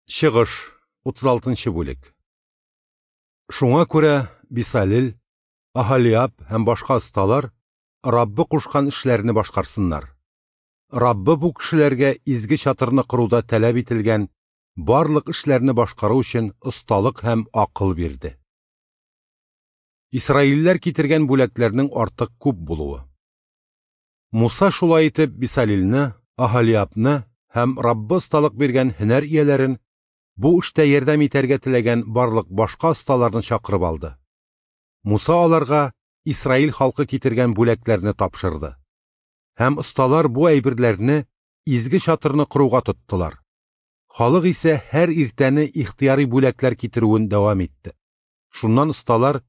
Чыгыш, 36 нчы бүлек. Шуңа күрә Бисалел, Аһалиаб һәм башка осталар Раббы кушкан эшләрне башкарсыннар. Раббы бу кешеләргә изге чатырны коруда таләп ителгән барлык эшләрне башкару өчен осталык һәм акыл бирде. Исраилләр китергән бүләкләрнең артык күп булуы. Муса шулай итеп Бисалилне, Аһалиабны һәм Раббы осталык биргән һөнәр ияләрен, бу эштә ярдәм итәргә теләгән барлык башка осталарны чакырып алды. Муса аларга Исраил халкы китергән бүләкләрне тапшырды. Һәм осталар бу әйберләрне изге чатырны коруга тоттылар. Халык исә һәр иртәне ихтыяри бүләкләр китерүен дәвам итте. Шуннан осталар,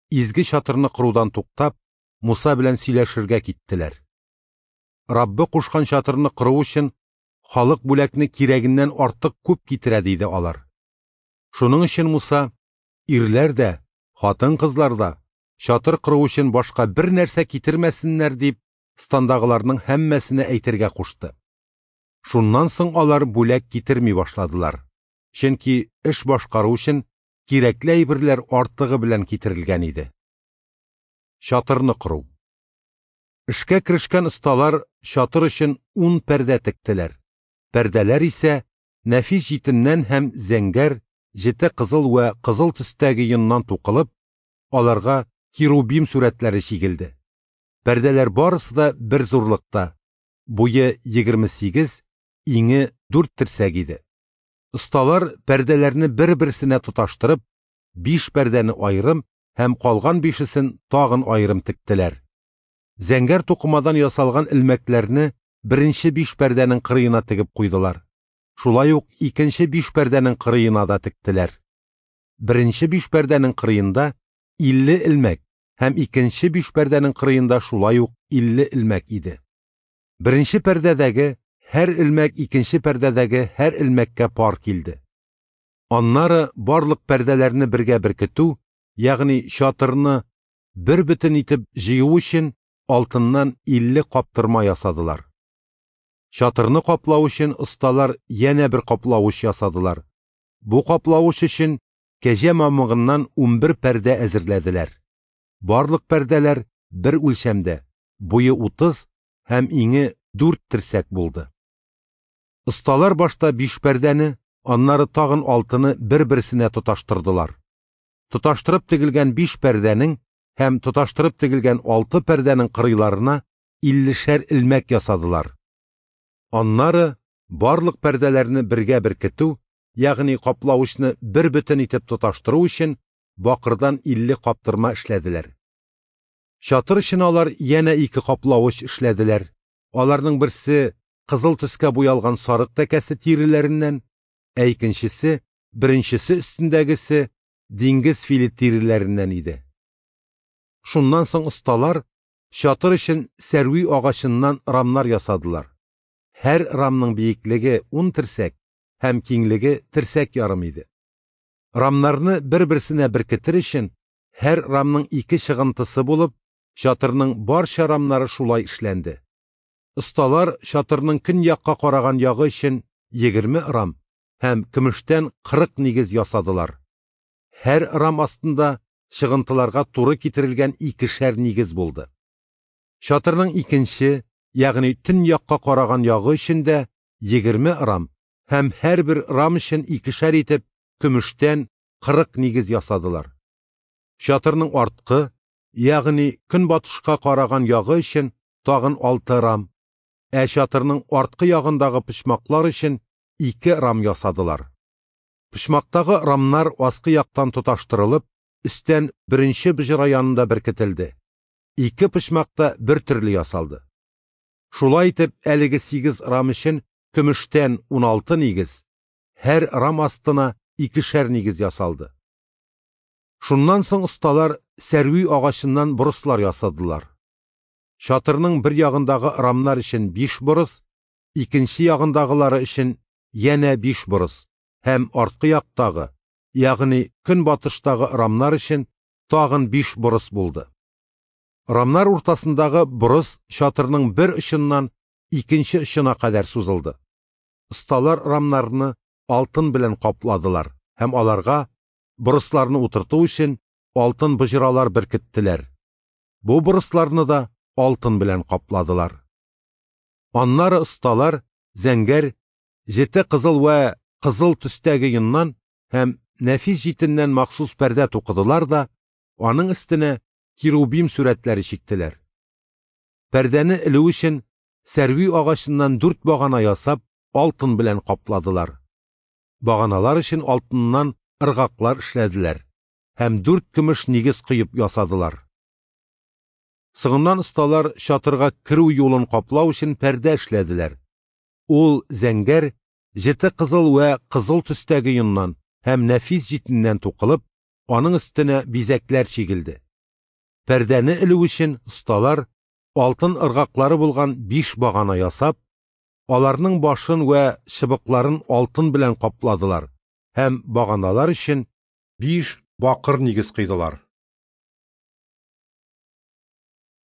изге чатырны корудан туктап, Муса белән сөйләшергә киттеләр. Раббы кушкан чатырны кору өчен халык бүләкне кирәгеннән артык күп китерә, диде алар. Шуның өчен Муса, ирләр дә, хатын-кызлар да, чатыр кору өчен башка бер нәрсә китермәсеннәр, дип, стандагыларның һәммәсенә әйтергә кушты. Шуннан соң алар бүләк китерми башладылар, чөнки эш башкару өчен кирәкле әйберләр артыгы белән китерелгән иде. Чатырны кору. Эшкә керешкән осталар чатыр өчен ун пәрдә тектеләр. Пәрдәләр исә нәфис җитеннән һәм зәңгәр, җете кызыл вә кызыл төстәге йоннан тукылып, аларга керубим сурәтләре чигелде. Пәрдәләр барысы да бер зурлыкта, буе 28, иңе 4 терсәк иде. Осталар пәрдәләрне бер-берсенә тоташтырып, биш пәрдәне аерым һәм калган бишесен тагын аерым тектеләр. Зәңгәр тукымадан ясалган элмәкләрне беренче биш пәрдәнең кырыена тегеп куйдылар. Шулай ук икенче биш пәрдәнең кырыена да тектеләр. Беренче биш пәрдәнең кырыенда 50 элмәк һәм икенче биш пәрдәнең кырыенда шулай ук 50 элмәк иде. Беренче пәрдәдәге һәр элмәк икенче пәрдәдәге һәр элмәккә пар килде. Аннары барлык пәрдәләрне бергә беркетү, ягъни чатырны бер бөтен итеп җыю өчен алтыннан 50 каптырма ясадылар. Чатырны каплау өчен осталар янә бер каплавыч ясадылар. Бу каплавыч өчен кәҗә мамыгыннан 11 пәрдә әзерләделәр. Барлык пәрдәләр бер үлчәмдә, буе 30 һәм иңе 4 терсәк булды. Осталар башта 5 пәрдәне, аннары тагын 6-ны бер-берсенә тоташтырдылар. Тоташтырып тегелгән 5 пәрдәнең һәм тоташтырып тегелгән 6 пәрдәнең кырыйларына 50шәр элмәк ясадылар. Аннары барлык пәрдәләрне бергә беркетү, ягъни каплавычны бер бөтен итеп тоташтыру өчен бакырдан 50 каптырма эшләделәр. Чатыр өчен алар янә 2 каплавыч эшләделәр. Аларның берсе кызыл төскә буялган сарык тәкәсе тиреләреннән, ә икенчесе, беренчесе өстендәгесе диңгез филе тиреләреннән иде. Шуннан соң осталар чатыр өчен сәрви агачыннан рамнар ясадылар. Һәр рамның биеклеге 10 терсәк һәм киңлеге терсәк ярым иде. Рамнарны бер-берсенә беркетер өчен һәр рамның 2 чыгынтысы булып, чатырның барча рамнары шулай эшләнде. Осталар чатырның көньякка караган ягы өчен 20 рам һәм көмештән 40 нигез ясадылар. Һәр рам астында чыгынтыларга туры китерелгән 2шәр нигез булды. Чатырның икенче, ягъни төньякка караган ягы өчен дә 20 рам һәм һәрбер рам өчен 2шәр итеп көмештән 40 нигез ясадылар. Чатырның арткы, ягъни көнбатышка караган ягы өчен тагын 6 рам, ә чатырның арткы ягындагы почмаклар өчен 2 рам ясадылар. Почмактагы рамнар аскы яктан тоташтырылып, өстән беренче боҗра янында беркетелде. 2 почмакта бер төрле ясалды. Шулай итеп, әлеге 8 рам өчен көмештән 16 нигез, һәр рам астына 2шәр нигез ясалды. Шуннан соң осталар сәрви агачыннан борыслар ясадылар. Чатырның бер ягындагы рамнар өчен 5 борыс, икенче ягындагылары өчен янә 5 борыс һәм арткы яктагы, ягъни көнбатыштагы рамнар өчен тагын 5 борыс булды. Рамнар уртасындагы борыс чатырның бер очыннан икенче очына кадәр сузылды. Осталар рамнарны алтын белән капладылар һәм аларга, борысларны утырту өчен, алтын боҗралар беркеттеләр. Бу борысларны да алтын белән капладылар. Аннары осталар зәңгәр, җете кызыл вә кызыл төстәге йоннан һәм нәфис җитеннән махсус пәрдә тукыдылар да аның өстенә керубим сурәтләре чиктеләр. Пәрдәне элү өчен сәрви агачыннан 4 багана ясап, алтын белән капладылар. Баганалар өчен алтыннан ыргаклар эшләделәр һәм 4 көмеш нигез коеп ясадылар. Соңыннан осталар чатырга керү юлын каплау өчен пәрдә эшләделәр. Ул зәңгәр, җете кызыл вә кызыл төстәге йоннан һәм нәфис җитеннән тукылып, аның өстенә бизәкләр чигелде. Пәрдәне элү өчен осталар алтын ыргаклары булган 5 багана ясап, аларның башын вә чыбыкларын алтын белән капладылар һәм баганалар өчен 5 бакыр нигез куйдылар.